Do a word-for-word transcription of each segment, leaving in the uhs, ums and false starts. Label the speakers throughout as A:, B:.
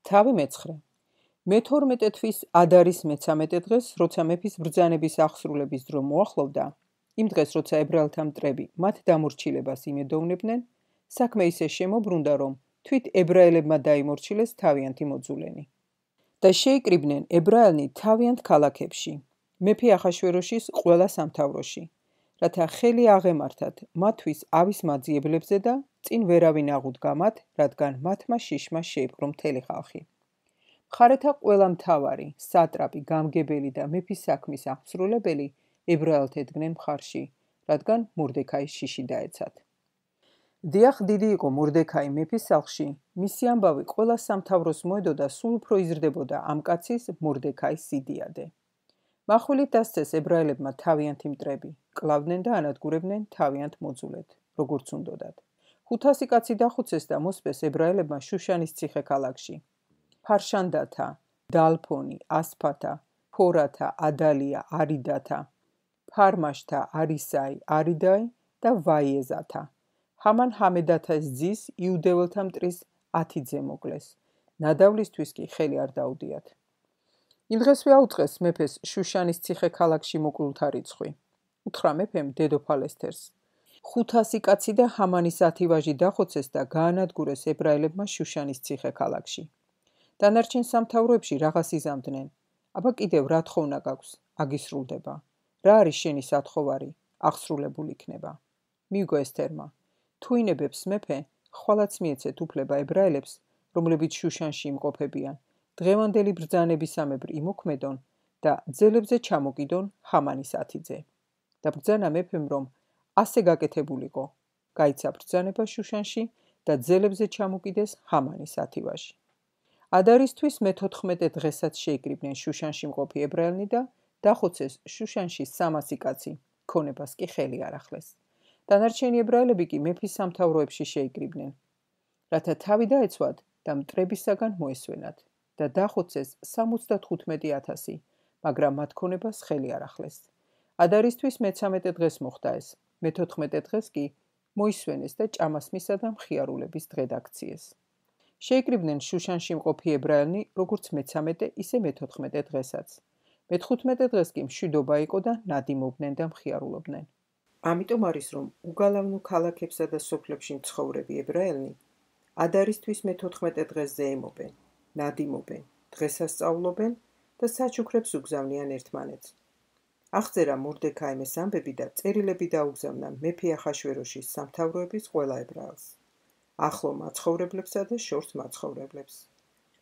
A: თავი მეცხრე. მეთორმეტე თვის ადარის მეცამეტე დღეს, როცა მეფის ბრძანების აღსრულების დრო მოახლოვდა, იმ დღეს, როცა ებრაელთა მტრები მათ დამორჩილებას იმედოვნებდნენ, საქმე ისე შემოbrunდა, რომ თვით ებრაელებმა დაიმორჩილეს თავიანთი მოძულენი. და შეიკრიბნენ ებრაელნი თავიანთ ქალაქებში, მეფე ახაშვეროშის ყველა სამთავროში, რათა ხელი აღემართათ მათთვის ავის მაძიებლებზე და წინ ვერავინ აღუდგა მათ, რადგან მათმა შიშმა შეიპყრო მთელი ხალხი. მხარეთა ყველა მთავარი, სატრაპი, გამგებელი და მეფის საქმის აღმსრულებელი ებრაელთ ედგნენ მხარში, რადგან მორდექაის შიში დაეცათ. დიახ, დიდი იყო მორდექაი მეფის სახლში, მისი ამბავი ყველა სამთავროს მოედო და სულ უფრო იზრდებოდა ამ კაცის მორდექაის სიდიადე. მახვილით დასცეს ებრაელებმა თავიანთი მტრები, კლავდნენ და ანადგურებდნენ თავიანთ მოძულედ, როგორც უნდოდათ. ხუთასი კაცი დახუცეს და მოსპეს ებრაელებმა შუშანის ციხე-ქალაქში. ფარშანდათა, დალფონი, ასფათა, ფორათა, ადალია, არიდათა, ფარმაშთა, არისაი, არიდაი და ვაიეზათა. ჰამან ჰამედათას ძის იუდეველთა მტრის ათი ძე მოკლეს. ნადავლისთვის კი ხელი არ დაუდიათ. იმ დღესვე აუწყეს მეფეს შუშანის ციხე-ქალაქში მოკლულთა რიცხვი. უთხრა მეფემ დედოფალ ესთერს. ხუთასი კაცი და ჰამანის ათი ვაჟი დახოცეს და გაანადგურეს ებრაელებმა შუშანის ციხე-ქალაქში. დანარჩენ სამთავროებში რაღაც იზამდნენ. აბა კიდევ რა თხოვნა გაქვს, აგისრულდება. რა არის შენი სათხოვარი, აღსრულებულ იქნება. მიუგო ესთერმა. თუ ინებებს მეფე, ხვალაც მიეცეთ უფლება ებრაელებს, რომლებიც შუშანში იმყოფებიან, დღევანდელი ბრძანებისამებრ იმოქმედონ და ძელებზე ჩამოკიდონ ჰამანის ათი ძე. და ბრძანა მეფემ, რომ ასე გაკეთებულიყო, გაიცა ბრძანება შუშანში და ძელებზე ჩამოკიდეს ჰამანის ათი ვაჟი. ადარისთვის მეთოთხმეტე დღესაც შეიკრიბნენ შუშანში მყოფი ებრაელნი და დახოცეს შუშანში სამასი კაცი, ქონებას კი ხელი არ ახლეს. დანარჩენი ებრაელები კი მეფის სამთავროებში შეიკრიბნენ, რათა თავი დაეცვათ და მტრებისაგან მოესვენათ და დახოცეს სამოცდათხუთმეტი ათასი, მაგრამ მათ ქონებას ხელი არ ახლეს. ადარისთვის მეცამეტე დღეს მოხდა ეს, მეთოთხმეტე დღეს კი მოისვენეს და ჭამასმისა და მხიარულების დღე დაქციეს. შეიკრიბნენ შუშანში მყოფი ებრაელნი, როგორც მეცამეტე, ისე მეთოთხმეტე დღესაც. მეთხუთმეტე დღეს კი მშვიდობა იყო და ნადიმობდნენ და მხიარულობდნენ. ამიტომ არის, რომ უგალავნო ქალაქებსა და სოფლებში მცხოვრები ებრაელნი ადარისთვის მეთოთხმეტე დღესზე ემობენ, ნადიმობენ, დღესასწაულობენ და საჩუქრებს უგზავნიან ერთმანეთს. აღწერა მორდექაიმ ეს ამბები და წერილები დაუგზავნა მეფე ახაშვეროშის სამთავროების ყველა ებრაელს, ახლო მაცხოვრებლებსა და შორს მაცხოვრებლებს,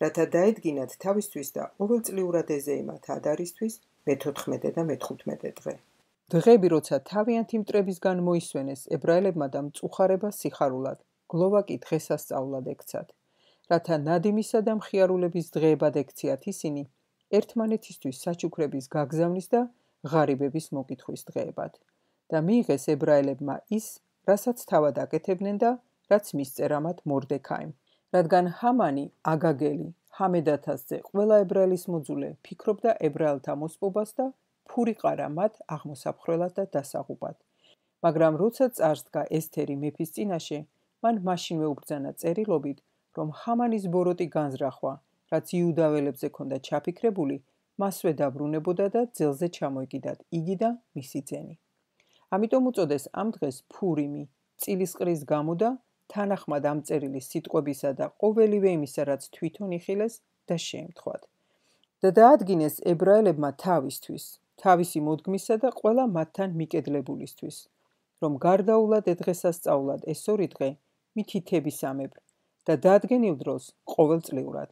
A: რათა დაედგინათ თავისთვის და ყოველწლიურად ეზეიმათ ადარისთვის მეთოთხმეტე და მეთხუთმეტე დღე. დღეები, როცა თავიანთი მტრებისგან მოისვენეს ებრაელებმა და მწუხარება სიხარულად, გლოვა კი დღესასწაულად ექცათ, რათა ნადიმისა და მხიარულების დღეებად ექციათ ისინი ერთმანეთისთვის საჩუქრების გაგზავნის და ღარიბების მოკითხვის დღეებად და მიიღეს ებრაელებმა ის, რასაც თავად აკეთებდნენ და რაც მისწერა მათ მორდექაიმ. რადგან ჰამანი, აგაგელი, ჰამედათას ძე, ყველა ებრაელის მოძულე ფიქრობდა ებრაელთა მოსპობას და ფური ყარა მათ აღმოსაფხრელად და დასაღუპად. მაგრამ როცა წარსდგა ესთერი მეფის წინაშე, მან მაშინვე უბრძანა წერილობით, რომ ჰამანის ბოროტი განზრახვა, რაც იუდაველებზე ქონდა ჩაფიქრებული, მასვე დაბრუნებოდა და ძელზე ჩამოეკიდათ იგი და მისი ძენი. ამიტომ უწოდეს ამ დღეს ფურიმი, წილისყრის გამო და თანახმად ამ წერილის სიტყვებისა და ყოველივე იმისა, რაც თვითონ იხილეს და შეემთხვათ. და დაადგინეს ებრაელებმა თავისთვის, თავისი მოდგმისა და ყველა მათთან მიკედლებულისთვის, რომ გარდაულად დღესასწაულად ეს ორი დღე მითითებისამებრ და დადგენილ დროს ყოველწლიურად,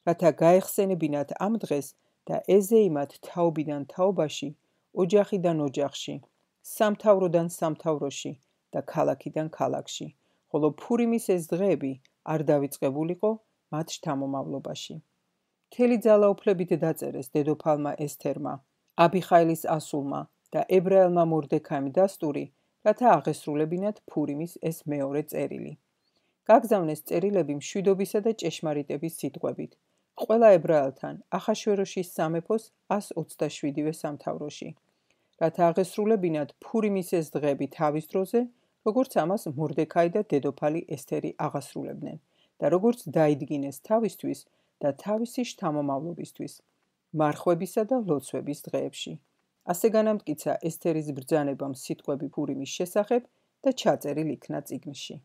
A: რათა გაეხსენებინათ ამ დღეს და ეზეიმათ თაობიდან თაობაში, ოჯახიდან ოჯახში, სამთავროდან სამთავროში და ქალაქიდან ქალაქში, ხოლო ფურიმის ეს დღეები არ დავიწყებულიყო მათ შთამომავლობაში. მთელი ძალაუფლებით დაწერეს დედოფალმა ესთერმა, აბიხაილის ასულმა და ებრაელმა მორდექაიმ დასტური, რათა აღესრულებინათ ფურიმის ეს მეორე წერილი. გაგზავნეს წერილები მშვიდობისა და ჭეშმარიტების სიტყვებით, ყველა ებრაელთან ახაშვეროშის სამეფოს ას ოცდაშვიდივე სამთავროში, რათა აღესრულებინათ ფურიმის ეს დღეები თავის დროზე, როგორც ამას მორდექაი და დედოფალი ესთერი აღასრულებდნენ და როგორც დაიდგინეს თავისთვის, და თავისი შთამომავლობისთვის, მარხვებისა და ლოცვების დღეებში. ასე განამტკიცა ესთერის ბრძანებამ სიტყვები ფურიმის შესახებ და ჩაწერილ იქნა წიგნში.